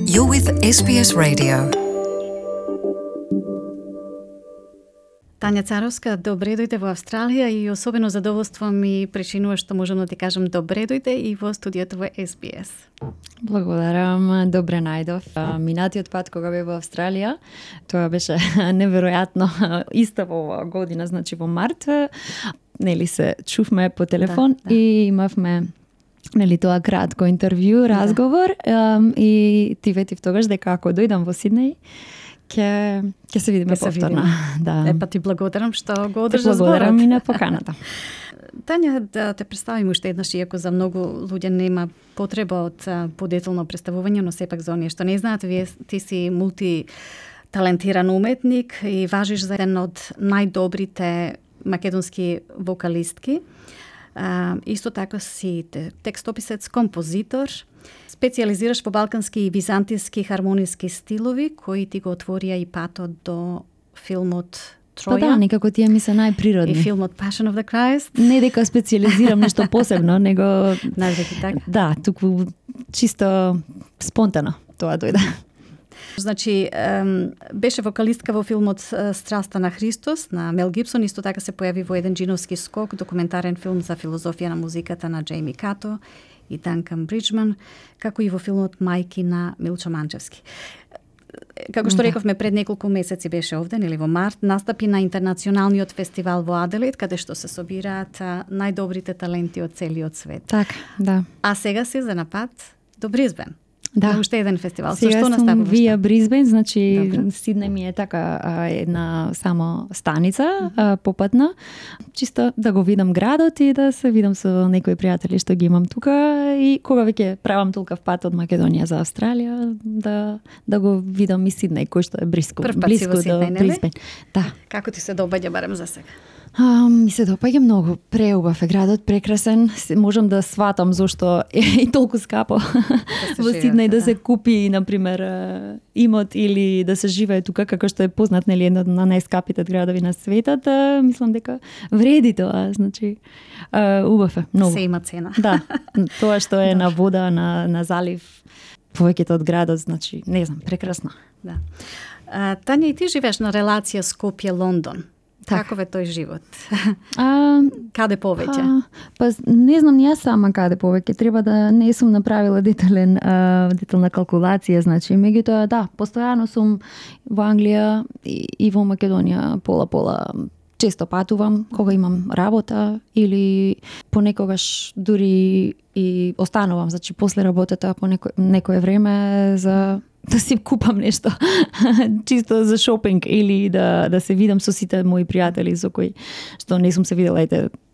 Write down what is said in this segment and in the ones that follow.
You're with SBS Radio. Тања Царовска, добре дојде во Австралија и особено задоволство ми причинува што можам да ти кажам добре дојде и во студиото во SBS. Благодарам, добре најдов. Минатиот пат кога бев во Австралија, тоа беше неверојатно иста во оваа година, значи во март, нели се чувме по телефон и имавме тоа кратко интервју, разговор и ти ветив тогаш дека ако дојдам во Сиднеј, ќе се видиме повторно. Да. Па ти благодарам што го одржа зборот. Благодарам и на поканата. Тања, да те представим уште еднаш, иако за многу луѓе нема потреба од подетелно представување, но сепак за оние што не знаат, ти си мултиталентиран уметник и важиш за еден од најдобрите македонски вокалистки. Исто така си текстописец, композитор, специализираш по балкански и византијски хармониски стилови, кои ти го отворија и патот до филмот Троја. Па да, некако тие ми се најприродни. И филмот Passion of the Christ. Не дека специализирам нешто посебно, него Навеки така. Да, туку чисто спонтано тоа дојде. Значи, беше вокалистка во филмот Страста на Христос на Мел Гибсон, исто така се појави во еден джиновски скок, документарен филм за филозофија на музиката на Джейми Като и Данкан Бриджман, како и во филмот Мајки на Милчо Манчевски. Како што рековме, пред неколку месеци беше овде, нели во март, настапи на интернационалниот фестивал во Аделаид, каде што се собираат најдобрите таленти од целиот свет. Така, да. А сега си за напад до Бризбен. Да. Уште еден фестивал. Сега што сум наставуваш? вија Бризбен, значи Добре. Сиднеј ми е така една само станица попатна, чисто да го видам градот и да се видам со некои пријатели што ги имам тука и кога веќе правам толкав пат од Македонија за Австралија, да го видам и Сиднеј, кој што е блиску Прв пат си во до Сиднеј, нели? Бризбен. Да. Како ти се доаѓа барем за сега? Ми се допаѓа многу, преубав е градот, прекрасен, можам да сватам зошто е и толку скапо во Сиднеј да се купи, например, имот или да се живее тука, како што е познат, нели, едно од најскапите градови на светот, мислам дека вреди тоа, значи, убав е, многу. Се има цена. Да, тоа што е на вода, на залив, повеќето од градот, значи, не знам, прекрасно. Да. Тања, и ти живееш на релација Скопје-Лондон. Каков е тој живот? Каде повеќе? Па не знам ни јас сама каде повеќе, треба да не сум направила детална калкулација, значи, меѓутоа да, постојано сум во Англија и во Македонија пола-пола. Често патувам кога имам работа или понекогаш дури и останувам, значи после работата по некое време за да си купам нешто чисто за шопинг или да се видам со сите мои пријатели со кои што не сум се видела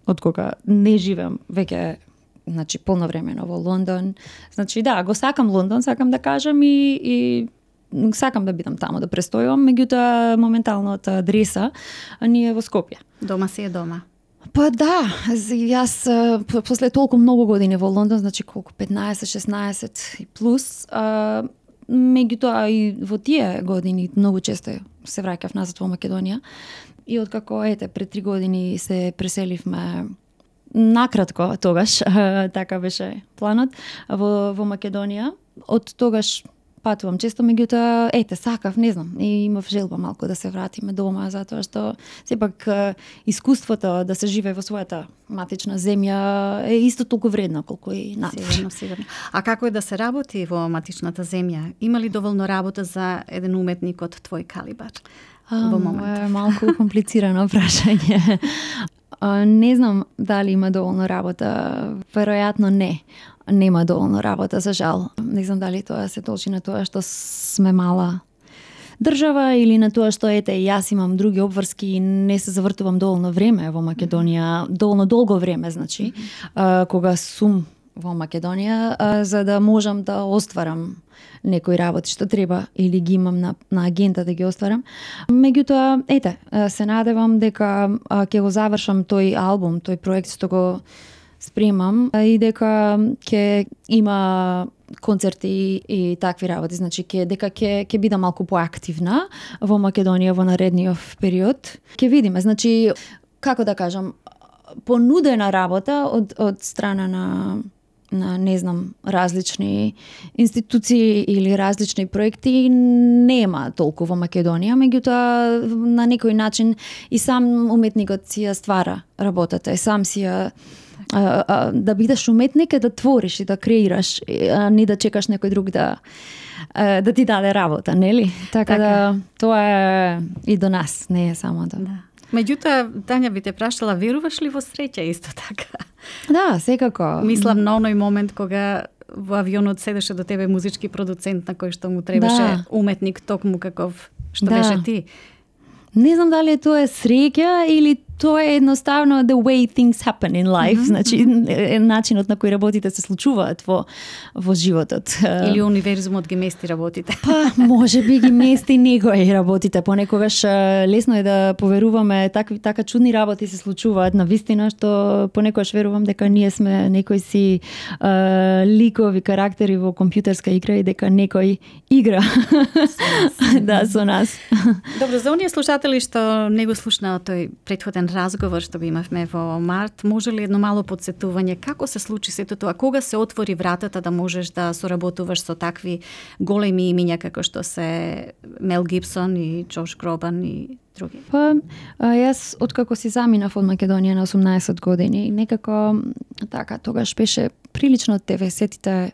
од кога не живеам веќе, значи полновремено во Лондон. Значи да, го сакам Лондон, сакам да кажам и сакам да бидам таму, да престојувам, меѓутоа моменталната адреса ни е во Скопје. Дома си е дома. Па да, јас после толку многу години во Лондон, значи колку 15-16 и плюс, меѓутоа и во тие години многу често се враќав назад во Македонија и откако пред 3 години се преселивме накратко тогаш, така беше планот во Македонија. Од тогаш патувам често, меѓутоа сакав, не знам, и имав желба малку да се вратиме дома, затоа што сепак искуството да се живее во својата матична земја е исто толку вредно колку и надвор. Сигурно. А како е да се работи во матичната земја? Има ли доволно работа за еден уметник од твој калибар во моментот? Е малку комплицирано прашање. Не знам дали има доволно работа, веројатно не. Нема доволно работа, за жал. Не знам дали тоа се должи на тоа што сме мала држава или на тоа што јас имам други обврски и не се завртувам доволно време во Македонија, доволно долго време, значи, кога сум во Македонија, за да можам да остварам некои работи што треба или ги имам на агента да ги остварам. Меѓутоа, се надевам дека ќе го завршам тој албум, тој проект што го спремам и дека ќе има концерти и такви работи, значи дека ќе бидам малку поактивна во Македонија во наредниот период. Ќе видиме, значи како да кажам, понудена работа од страна на не знам, различни институции или различни проекти нема толку во Македонија, меѓутоа на некој начин и сам уметникот си ја ствара работата, и сам си ја да бидеш уметник е да твориш и да креираш, а не да чекаш некој друг да ти даде работа, нели? Така да тоа е и до нас, не е само да. Меѓутоа, Тања, би те прашала, веруваш ли во среќа исто така? Да, секако. Мислам на оној момент кога во авионот седеше до тебе музички продуцент на кој што му требаше уметник токму каков што беше ти. Не знам дали тоа е среќа или тоа е едноставно the way things happen in life, значи начинот на кој работите се случуваат во животот. Или универзумот ги мести работите. Па, може би ги мести некои работите, понекогаш лесно е да поверуваме така чудни работи се случуваат навистина, што понекогаш верувам дека ние сме некои си ликови карактери во компјутерска игра и дека некој игра да со нас. Добро, за оние слушатели што не го слушнаа тој претходен разговор што го имавме во март, може ли едно мало подсетување како се случи сето тоа, кога се отвори вратата да можеш да соработуваш со такви големи имиња како што се Мел Гибсон и Джош Гробан и други? Па, јас откако си заминав од Македонија на 18 години, некако така тогаш беше прилично 90-тите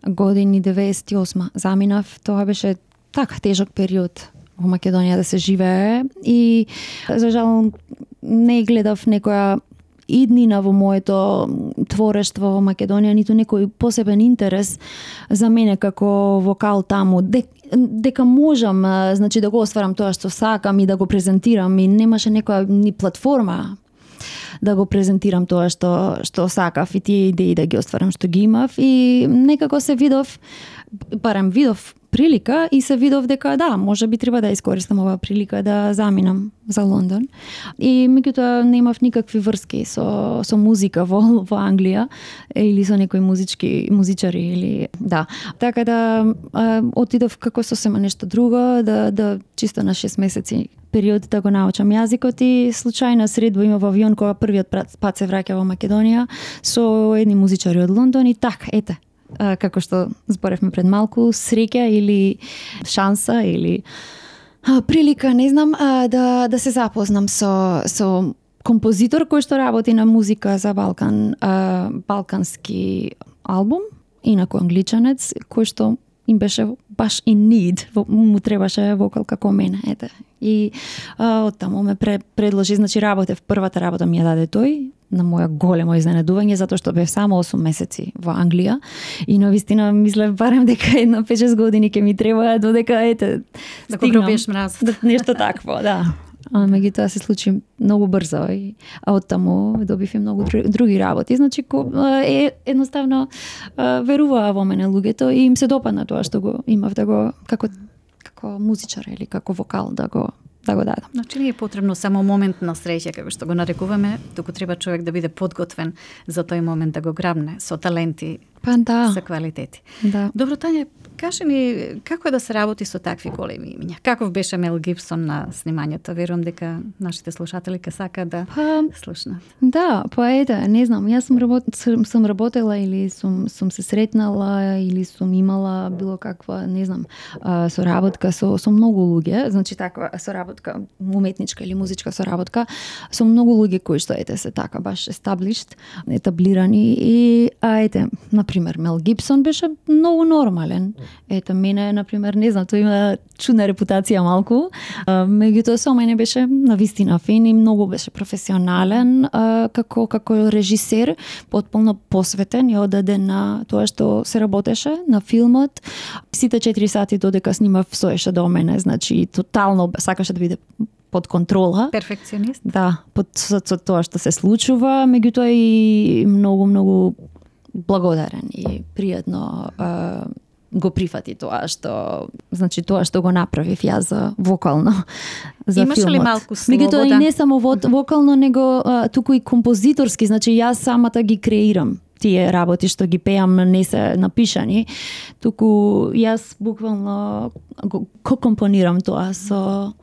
години, 98 заминав, тоа беше така тежок период во Македонија да се живее и за жал не гледав некоја иднина во моето творештво во Македонија, ниту некој посебен интерес за мене како вокал таму, дека можам, значи да го остварам тоа што сакам и да го презентирам, и немаше некоја ни платформа да го презентирам тоа што сакав и тие идеи да ги остварам што ги имав, и некако се видов прилика и се видов дека да, може би треба да искористам оваа прилика да заминам за Лондон. И меѓутоа немав никакви врски со музика во Англија или со некои музичари или да. Така да отидов како сосема нешто друго, да чисто на 6 месеци период да го научам јазикот, и случајна средба има во авион кога првиот пат се враќа во Македонија со едни музичари од Лондон, и така, ете, како што зборевме пред малку, среќа или шанса или прилика, не знам, да се запознам со композитор кој што работи на музика за балкански албум, инаку англичанец, кој што им беше баш in need, му требаше вокал како мене, ете. И оттаму ме предложи, значи работев, првата работа ми ја даде тој, на моја големо изненадување, затоа што бев само 8 месеци во Англија и навистина мислев барем дека едно 5-6 години ќе ми треба додека ете да го пробиеш мраз. Нешто такво, да. А меѓутоа се случи многу брзо, а оттаму добив и многу други работи. Значи едноставно веруваа во мене луѓето и им се допадна тоа што го имав да го како музичар или како вокал да го дадам. Значи не е потребно само момент на среќа, како што го нарекуваме, туку треба човек да биде подготвен за тој момент да го грабне со таленти, со квалитети. Да. Добро, Тања, кажи ми како е да се работи со такви големи имиња? Каков беше Мел Гибсон на снимањето? Верувам дека нашите слушатели ке сакаат да слушнат. Да, ете, не знам, јас сум работела или сум се сретнала или сум имала било каква, не знам, соработка со многу луѓе, значи таква соработка, уметничка или музичка соработка, со многу луѓе кои што ете се така баш етаблирани, и ете, например, Мел Гибсон беше многу нормален. Ето, мене, например, не знам, тој има чудна репутација малку, меѓутоа со мене беше навистина фин и многу беше професионален како режисер, потполно посветен и одаден на тоа што се работеше на филмот. Сите 4 сати додека снимав стоеше до мене, значи тотално сакаше да биде под контрола. Перфекционист? Да, со тоа што се случува, меѓутоа и многу благодарен и пријатно го прифати тоа што го направив јас за вокално за имаш филмот. Имаш ли малку слобода? Меѓутоа и не само вокално, него туку и композиторски, значи јас самата ги креирам тие работи што ги пеам не се напишани, туку јас буквално го компонирам тоа со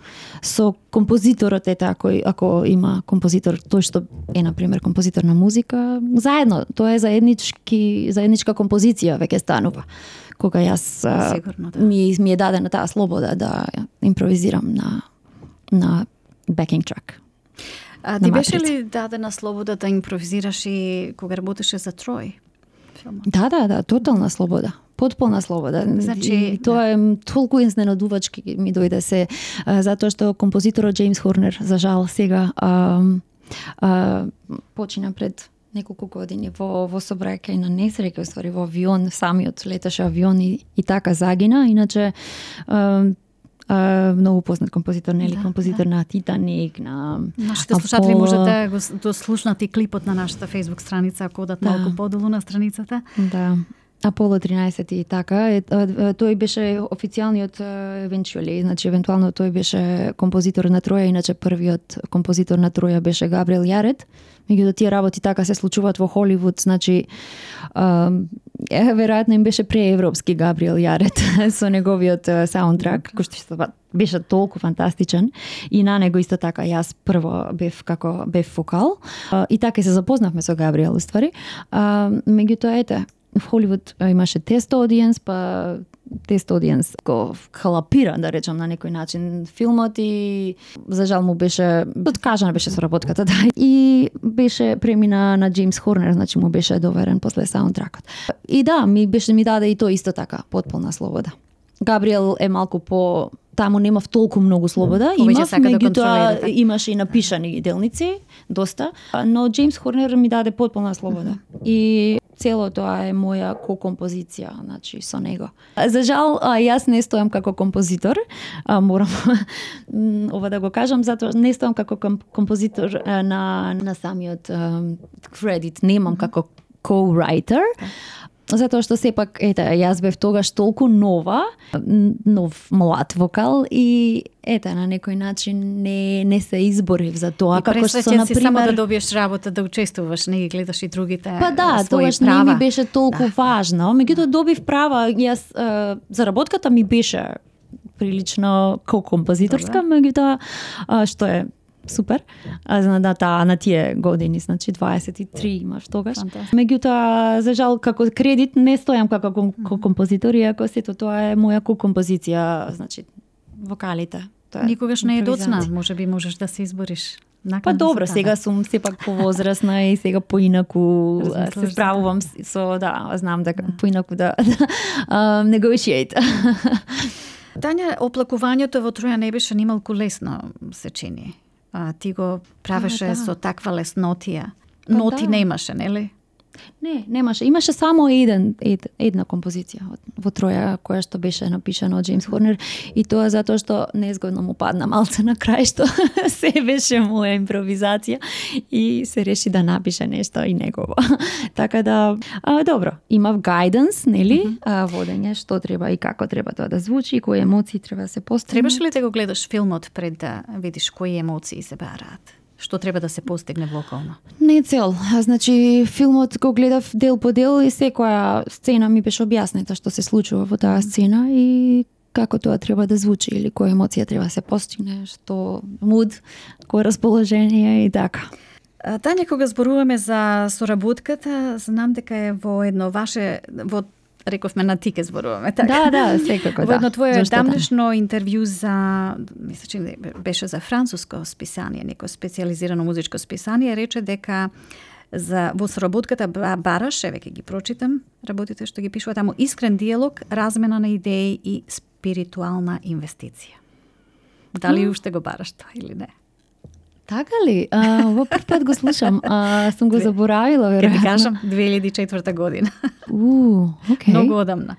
композиторот ако има композитор, тој што е на пример композитор на музика, заедно, тоа е заедничка композиција веќе станува. Кога јас Сигурно, да. ми е дадена таа слобода да импровизирам на backing track. Ти беше ли дадена слобода да импровизираш и кога работеше за Трој? Да, тотална слобода. Потполна слобода. Значи, и тоа е толку изненадувачки ми дојде се, затоа што композиторот Джеймс Хорнер, за жал, сега почина пред неколку години во сообраќај на несреќа, уствари во авион, самиот леташе авион и така загина. Иначе многу познат композитор, нели, композитор на Титаник, на нашите слушатели може да го слушнат и клипот на нашата Facebook страница, ако одат малку подолу на страницата. Да. Аполо 13 и така. Тој беше официјалниот eventually, значи евентуално тој беше композитор на Троја, иначе првиот композитор на Троја беше Габриел Јарет. Меѓутоа тие работи така се случуваат во Холивуд, значи веројатно им беше преевропски Габриел Јарет со неговиот саундтрак, кој што беше толку фантастичен, и на него исто така јас прво бев вокал и така се запознавме со Габриел уствари. Меѓутоа ете, в Холивуд имаше тест аудиенс, па тест аудиенс го халапира, да речам, на некој начин филмот и за жал му беше откажана беше соработката, да. И беше премина на Джеймс Хорнер, значи му беше доверен после саундтракот. И да, ми даде и тоа исто така потполна слобода. Габриел е малку по таму немав толку многу слобода, меѓутоа имаше и напишани делници, доста, но Джеймс Хорнер ми даде потполна слобода. И цело тоа е моја ко-композиција, значи со него. За жал, јас не стојам како композитор, морам ова да го кажам, затоа не стојам како композитор на самиот кредит, немам како co-writer, затоа што сепак, јас бев тогаш толку нов млад вокал и на некој начин не се изборив за тоа, како што на пример само да добиеш работа, да учествуваш, не ги гледаш и другите Па да, тогаш не ми беше толку важно, меѓутоа добив права, јас заработката ми беше прилично композиторска, меѓутоа што е супер. На тие години, значи 23 имаш тогаш. Меѓутоа, за жал, како кредит не стојам како композитор, иако сето тоа е моја композиција, значи вокалите. Никогаш не е доцна, можеби можеш да се избориш. Па добро, сега сум сепак повозрасна и сега поинаку се справувам со, знам дека поинаку да negotiate. Тања, оплакувањето во Троја не беше нималку лесно, се чини. Ти го правеше со таква леснотија. Ноти немаше, нели? Не, немаше. Имаше само една композиција во Троја, која што беше напишана од Джеймс Хорнер, и тоа затоа што незгодно му падна малце на крај, што се беше моја импровизација и се реши да напише нешто и негово. Така да, добро, имав гајденс, нели, водење, што треба и како треба тоа да звучи, кои емоции треба да се постигнат. Требаше ли да го гледаш филмот пред да видиш кои емоции се бараат? Што треба да се постигне вокално? Не цел. Значи, филмот го гледав дел по дел и секоја сцена ми беше објаснета што се случува во таа сцена и како тоа треба да звучи или која емоција треба да се постигне, што муд, кој расположение и така. Тања, кога зборуваме за соработката, знам дека е во едно ваше рековме на ти ке зборуваме, така? Да, секако, Во едно твое дамнешно интервју за, мисля, че беше за француско списание, некој специализирано музичко списание, рече дека во соработката бараш, веќе ги прочитам, работите што ги пишува таму, искрен диалог, размена на идеи и спиритуална инвестиција. Дали уште го бараш тоа или не? Така ли? Во прв пат го слушам. Сум го заборавила, веројатно. Ке ти кажам, 2004 година. Окей. Многу одамна.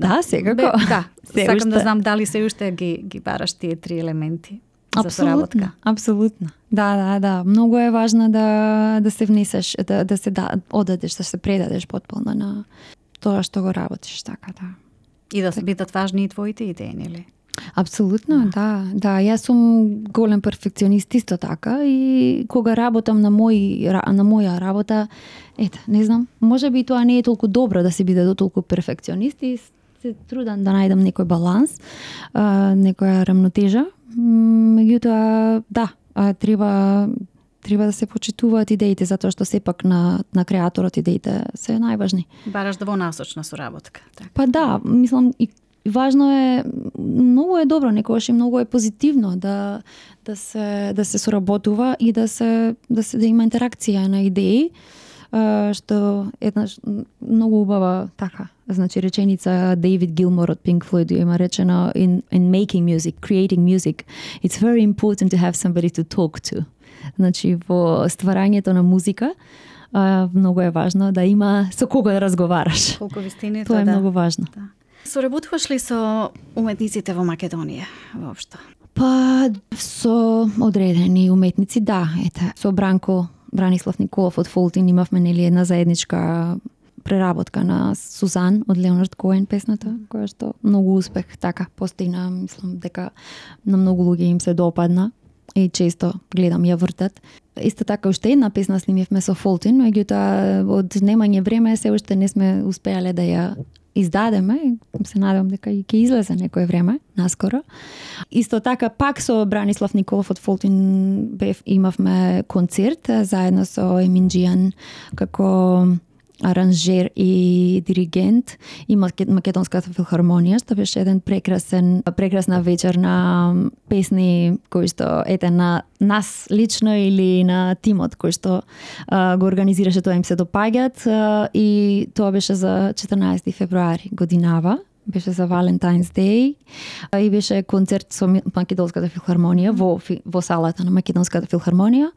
Да, секако. Сакам да знам дали се уште ги бараш тие три елементи за соработка. Апсолутно. Да. Многу е важно да се внесеш, да се одадеш, да се предадеш потполно на тоа што го работиш, така да. И да бидат важни и твоите идеи, нели? Апсолутно, да. Јас сум голем перфекционист исто така и кога работам на моја работа, не знам, можеби тоа не е толку добро да се биде толку перфекционист и се трудам да најдам некој баланс, некоја рамнотежа. Меѓутоа, треба да се почитуваат идеите, затоа што сепак на креаторот идеите се најважни. Бараш да во насочна соработка. Так. Па да, мислам и важно е, многу е добро, некогаш и многу е позитивно да се соработува и да има интеракција на идеи, што еднаш многу убава така. Значи реченица Дейвид Гилмор од Pink Floyd има речено in making music, creating music, it's very important to have somebody to talk to. Значи во стварањето на музика многу е важно да има со кого да разговараш. Колку вистините, тоа е многу важно. Да. Соработуваш ли со уметниците во Македонија воопшто? Па со одредени уметници, да, со Бранислав Николов од Фолтин имавме една заедничка преработка на Сузан од Леонард Коен песната, која што многу успех така постигна, мислам дека на многу луѓе им се допадна и често гледам ја вртат. Исто така уште една песна снимивме со Фолтин, меѓутоа од немање време се уште не сме успеале да ја издадеме и се надевам дека и ќе излезе некој време, наскоро. Исто така пак со Бранислав Николов од Фолтин имавме концерт заедно со Емин Џијан како аранжер и диригент и Македонската филхармонија, што беше еден прекрасна вечер на песни кои што на нас лично или на тимот кој што го организираше, тоа им се допаѓат и тоа беше за 14 февруари годинава. Беше за Valentine's Day и беше концерт со Македонската филхармонија во салата на Македонската филхармонија.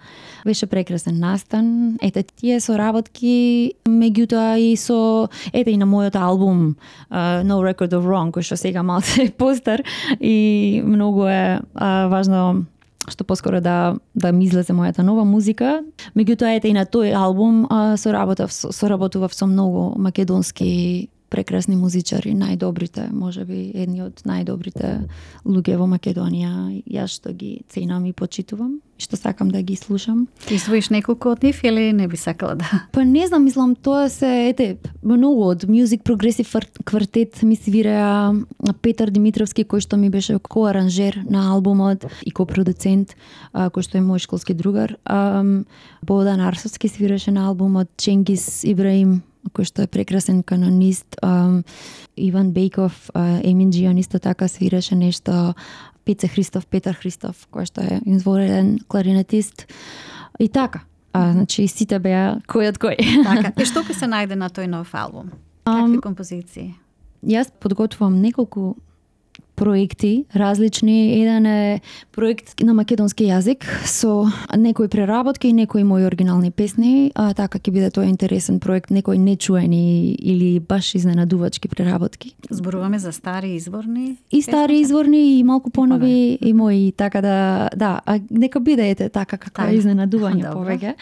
Беше прекрасен настан. Тие соработки, меѓутоа и со и на мојот албум No Record of Wrong, кој што сега малце постар и многу е важно што поскоро да ми излезе мојата нова музика. Меѓутоа и на тој албум соработував со многу македонски прекрасни музичари, најдобрите, можеби едни од најдобрите луѓе во Македонија, јас што ги ценам и почитувам, што сакам да ги слушам. Ти своиш неколку од нив или не би сакала да? Па не знам, мислам, тоа се многу од Music Progressive Quartet ми свиреа Петар Димитровски, кој што ми беше коаранжер на албумот и копродуцент, кој што е мој школски другар. Бодан Арсовски свиреше на албумот, Ченгиз Ибраим, кој што е прекрасен канонист, Иван Бејков, Емин Џијан исто така свиреше нешто, Петар Христов, кој што е изворен кларинетист. И така, значи сите беа кој од кој. Така, и што ќе се најде на тој нов албум? Какви композиции? Јас подготвувам неколку проекти различни. Еден е проект на македонски јазик со некои преработки и некои мои оригинални песни, така ќе биде тоа интересен проект, некои нечуени или баш изненадувачки преработки. Зборуваме за стари изворни? И стари изворни и малку понови и мои, така да, нека биде така како изненадување повеќе.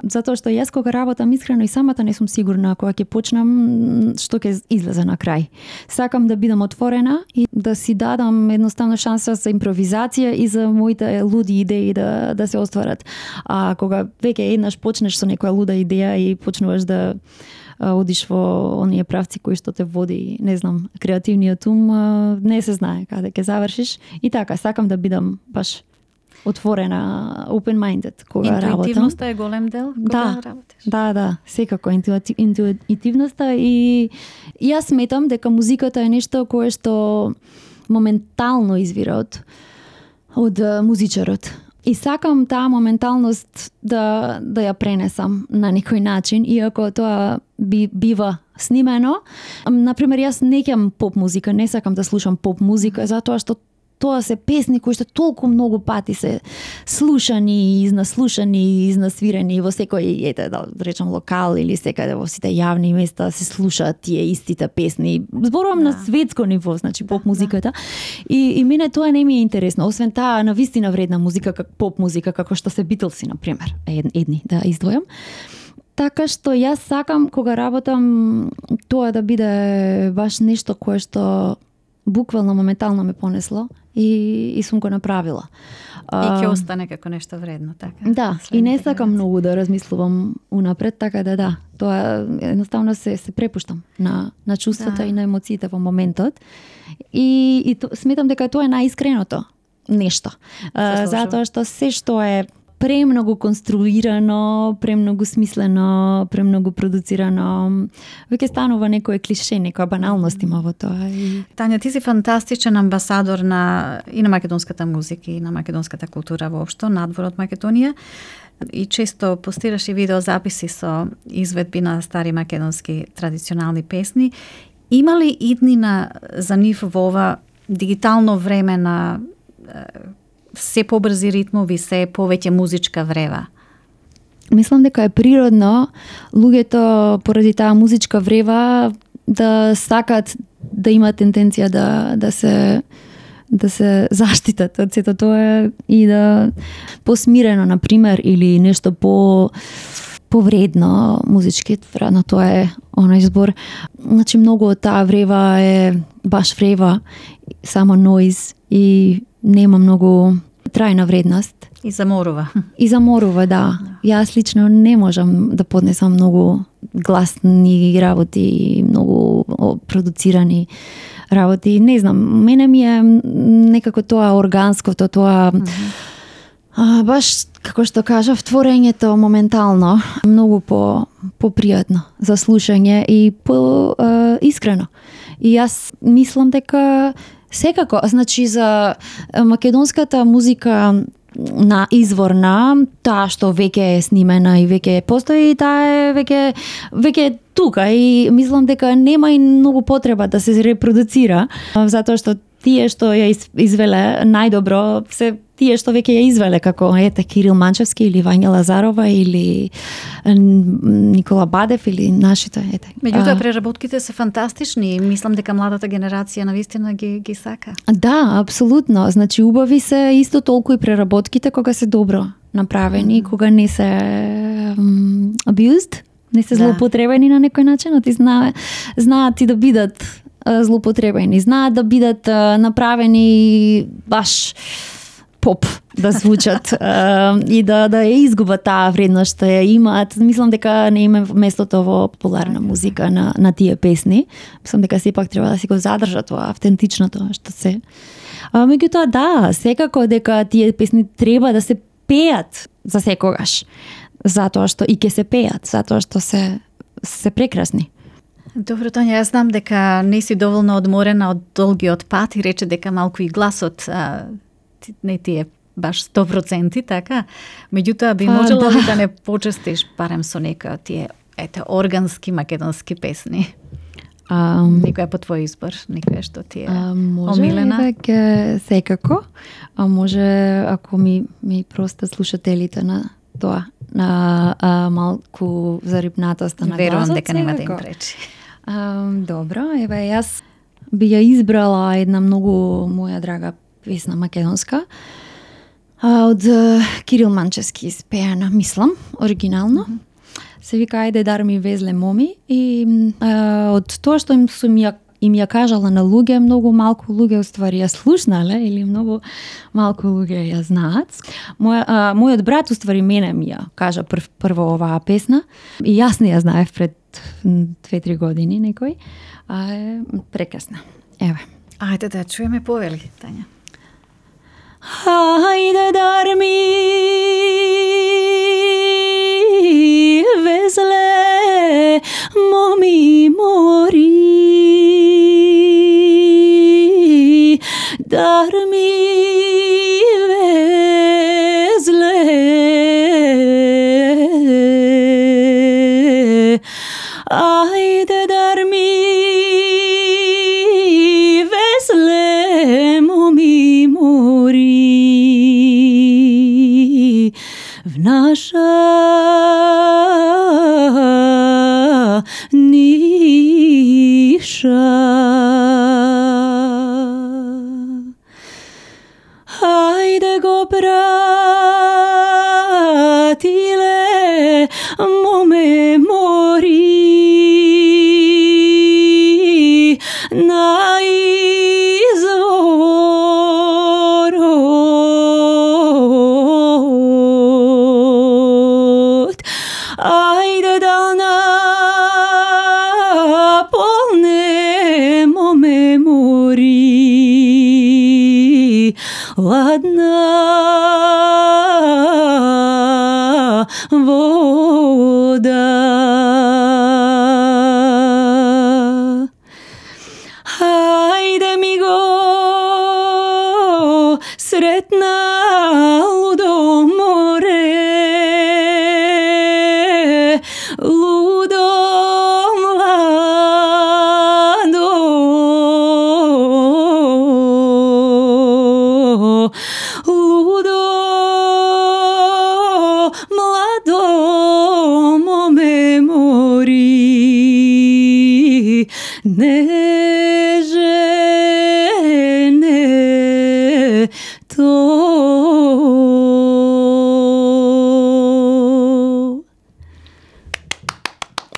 Затоа што јас кога работам искрено и самата не сум сигурна кога ќе почнам што ќе излезе на крај. Сакам да бидам отворена и да си дадам едноставно шанса за импровизација и за моите луди идеи да се остварат. А кога веќе еднаш почнеш со некоја луда идеја и почнуваш да одиш во оние правци кои што те води, не знам, креативниот ум, не се знае каде ќе завршиш. И така, сакам да бидам баш отворена, open-minded кога работам. Интуитивноста е голем дел кога работиш? Да, секако интуитивноста и јас сметам дека музиката е нешто кое што моментално извира од музичарот. И сакам таа моменталност да ја пренесам на некој начин, иако тоа бива снимено. Например, јас не ќам поп музика, не сакам да слушам поп музика, затоа што тоа се песни кои што толку многу пати се слушани, изнаслушани, изнасвирени во секој, да речам, локал или секаде во сите јавни места се слушаат тие истите песни. Зборувам на светско ниво, значи поп музиката. И мене тоа не ми е интересно, освен таа навистина вредна музика, поп музика, како што се Битлси, на пример, едни да издвојам. Така што јас сакам кога работам тоа да биде баш нешто кое што буквално моментално ме понесло и сум го направила. И ќе остане како нешто вредно, така? Да, и не сакам многу да размислувам унапред, така да, тоа едноставно се препуштам на чувствата и на емоциите во моментот. И сметам дека тоа е најискреното нешто. Затоа што се што е премногу конструирано, премногу смислено, премногу продуцирано, веќе станува некое клише, некоја баналност има во тоа. Тања, ти си фантастичен амбасадор и на македонската музика и на македонската култура воопшто, надвор од Македонија. И често постираш и видеозаписи со изведби на стари македонски традиционални песни. Има ли иднина за нив во ова дигитално време на се побрзи ритмови, се повеќе музичка врева? Мислам дека е природно луѓето поради таа музичка врева да сакат да имат тенденција да се заштитат од сето тоа и да посмирено, например, или нешто повредно музички, вредно тоа е оној збор. Значи многу од таа врева е баш врева, само ноиз и нема многу трајна вредност. И заморува. И заморува, да. Јас лично не можам да поднесам многу гласни работи, многу продуцирани работи. Не знам, мене ми е некако тоа органското, тоа баш, како што кажав, творењето моментално, многу попријатно за слушање и искрено. И јас мислам дека секако, значи за македонската музика на изворна, таа што веќе е снимена и веќе постои, таа е веќе тука и мислам дека нема и многу потреба да се репродуцира, затоа што тие што ја извеле најдобро се тие што веќе ја извеле, како Кирил Манчевски или Вања Лазарова или Никола Бадев или нашите. Меѓутоа преработките се фантастични и мислам дека младата генерација навистина ги сака. Да, апсолутно. Значи убави се исто толку и преработките кога се добро направени, кога не се abused, не се злоупотребени на некој начин, ти знаат и да бидат злоупотребени, знаат да бидат направени баш поп да звучат и да ја изгубат таа вредност што ја имаат. Мислам дека не има местото во популарна музика на тие песни. Мислам дека сепак треба да си го задржат тоа автентичното што се. Меѓутоа да, секако дека тие песни треба да се пеат за секогаш. Затоа што и ќе се пеат, затоа што се прекрасни. Добро, Тања, јас знам дека не си доволно одморена од долгиот пат и рече дека малку и гласот не ти е баш 100%, така? Меѓутоа би можела ли да не почестиш барем со некој од тие органски македонски песни? Некоја по твој избор, некоја што ти е омилена? Може веќе секако, а може ако ми простат слушателите на тоа, на малку зарипнатоста на гласот. Верувам дека нема да им пречи. Добро, јас би ја избрала една многу моја драга песна македонска од Кирил Манчевски испеана, мислам, оригинално. Се вика Ајде дар ми везле моми и од тоа што им ја кажала на луѓе, многу малку луѓе уствари ја слушнале или многу малку луѓе ја знаат. Мојот брат уствари мене ми ја кажа прво оваа песна и јас не ја знаев пред 2-3 години некој. Е прекрасна. Еве. Ајде да чуеме, повели, Тања. Ајде дар ми везле моми мори, дар ми везле, ајде дар ми везле моми мори, в наша ниша. Ајде го пратиле моме мори, најдобро хладна вода. Хајде ми го сретна лудо море, лудо младо, лудо младо моме мори, нежене то.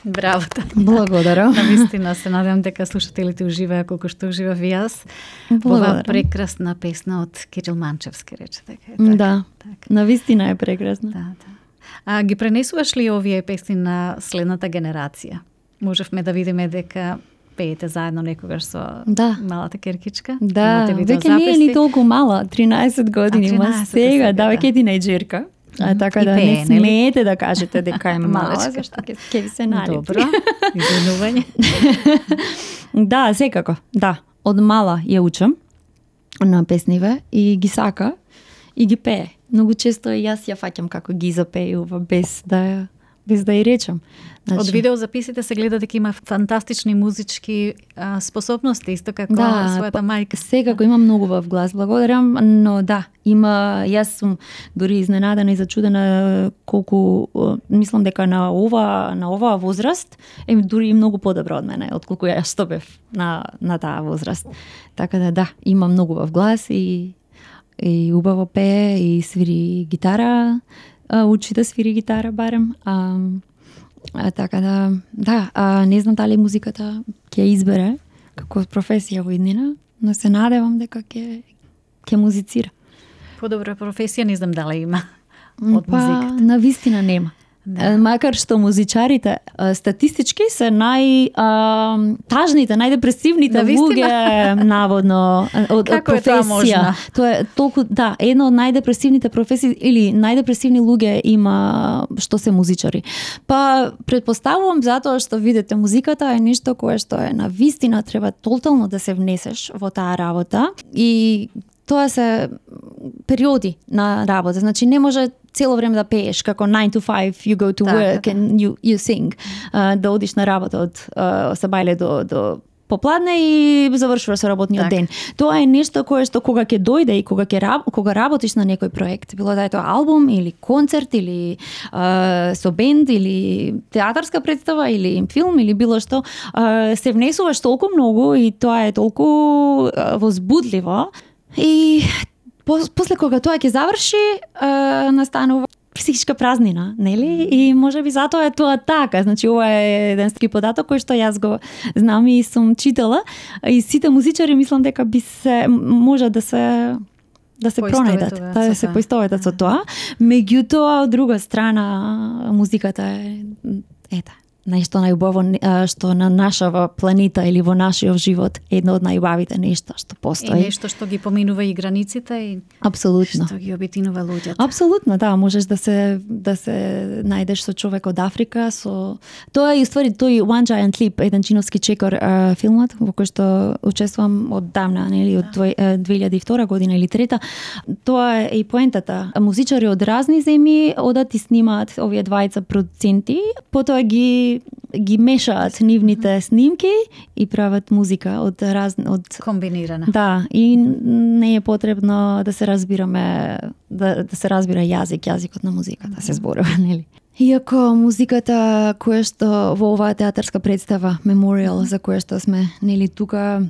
Браво. Благодарам. Навистина се надевам дека слушателите уживаа колку што уживав и јас. Ова прекрасна песна од Кирил Манчевски, рече дека е така. Да, навистина е прекрасна. Да. А ги пренесуваш ли овие песни на следната генерација? Можевме да видиме дека пеете заедно некогаш со малата Керкичка. Да, веќе не е ни толку мала, 13 години има сега, да, веќе е тинејџерка. Така да не смеете да кажете дека е мала, зашто ќе ви се налепи. Добро, извинување. Да, секако, да. Од мала ја учам на песниве и ги сака и ги пее. Многу често и јас ја фаќам како ги запејува без да ја речам. Значи, од видеозаписите се гледа дека има фантастични музички способности, исто како својата мајка. Секако има многу во глас, благодарам, но да, има, јас сум дури изненадена и зачудена колку мислам дека на оваа возраст е дури и многу подобро од мене отколку ја што бев на таа возраст. Така да, има многу во глас и убаво пее и свири гитара, учи да свири гитара барем. Така да, не знам дали музиката ќе избере како професија во иднина, но се надевам дека ќе музицира. Подобра професија не знам дали има од музиката. Навистина нема. Да. Макар што музичарите статистички се најтажните, најдепресивните луѓе наводно од професија. Тоа е толку едно од најдепресивните професии или најдепресивни луѓе има што се музичари. Па претпоставувам затоа што видите музиката е нешто кое што е навистина треба тотално да се внесеш во таа работа и тоа се периоди на работа. Значи не може цело време да пееш како 9 to 5 you go to work and you sing. Да одиш на работа од сабајле до попладне и завршуваш со работниот ден. Тоа е нешто кое што кога ќе дојде и кога работиш на некој проект, било да е тоа албум или концерт или со бенд или театарска представа или филм или било што, се внесуваш толку многу и тоа е толку возбудливо. И после кога тоа ќе заврши, настанува психичка празнина, нели? И можеби затоа е тоа така. Значи ова е еден податок кој што јас го знам и сум читала и сите музичари мислам дека може да се пронајдат, да се поистоветат со тоа. Меѓутоа од друга страна музиката е нешто најубаво што на нашава планета или во нашиот живот е едно од најубавите нешта што постои. И нешто што ги поминува и границите и апсолутно што ги обединува луѓето. Апсолутно, да, можеш да се најдеш со човек од Африка, со тоа е уствари тој One Giant Leap, еден чиновски чекор филмот во кој што учествувам од давна, нели, од 2002 година или трета. Тоа е и поентата. Музичари од разни земји одат и снимаат овие двајца продуценти, потоа ги мешаат нивните снимки и прават музика од комбинирана. Да, и не е потребно да се разбираме, да се разбира јазикот на музиката, се зборува, нели? Иако музиката која што во оваа театарска представа Memorial за која што сме нели тука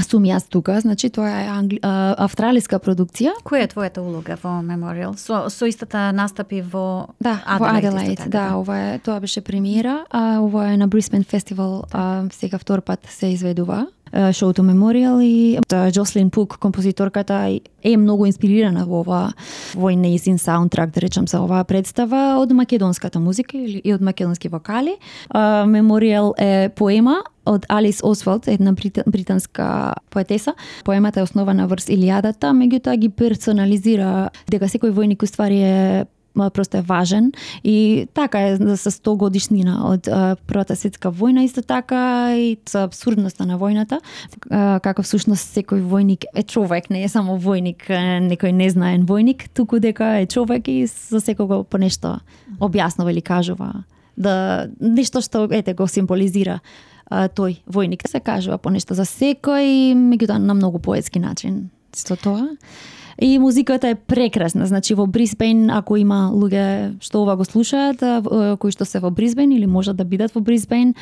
сум јас тука, значи тоа е австралиска продукција. Која е твојата улога во Memorial? Со истата настапи во Аделаид. Да, тоа беше премиера, ова е на Brisbane Festival, сега втор пат се изведува шоуто Memorial и Джослин Пук, композиторката, е многу инспирирана во нејзин саундтрак, да речам, за оваа представа од македонската музика и од македонски вокали. Memorial е поема од Алис Освалд, една британска поетеса. Поемата е основана врз Илијадата, меѓутоа ги персонализира дека секој војник уствари е просто е важен и така е со 100 годишнина од Првата светска војна, исто така и со абсурдноста на војната, како всушност секој војник е човек, не е само војник, некој незнаен војник, туку дека е човек и за секого по нешто објаснува или кажува, да нешто што ете го символизира тој војник. Се кажува по нешто за секој, меѓутоа на многу поетски начин. Со тоа и музиката е прекрасна, значи во Брисбен, ако има луѓе што ова го слушаат, кои што се во Брисбен или можат да бидат во Брисбен,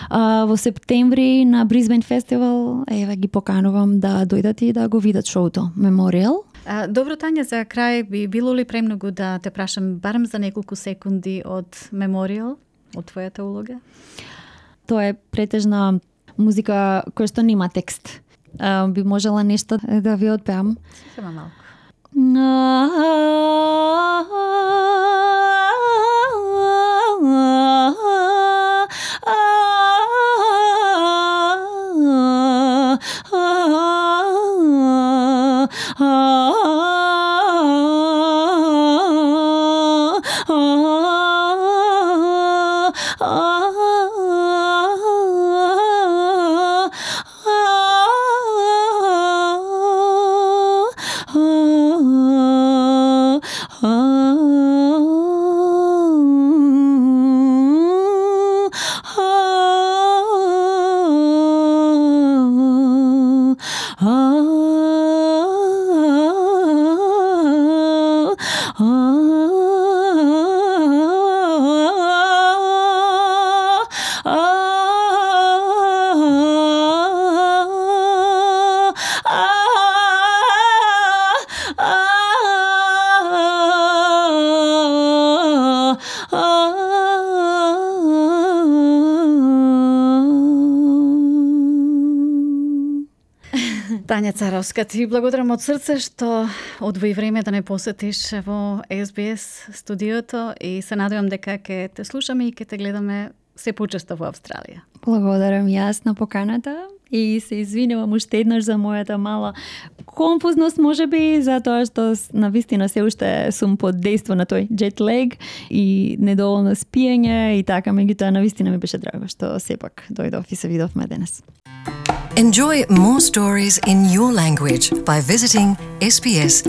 во септември на Брисбен фестивал, еве ги поканувам да дојдат и да го видат шоуто Меморијал. Добро, Тања, за крај би било ли премногу да те прашам барем за неколку секунди од Меморијал, од твојата улога? Тоа е претежна музика која што нема текст. Би можела нешто да ви отпеам. Сема малку. Тања Царовска, ти благодарам од срце што одвои време да не посетиш во SBS студиото и се надевам дека ќе те слушаме и ќе те гледаме се почесто во Австралија. Благодарам јас на поканата и се извинувам уште еднаш за мојата мала конфузност, можеби, затоа што навистина се уште сум под дејство на тој jet lag и недоволно спиење и така, меѓутоа навистина ми беше драго што сепак дојдов и се видовме денес. Enjoy more stories in your language by visiting sbs.com.au.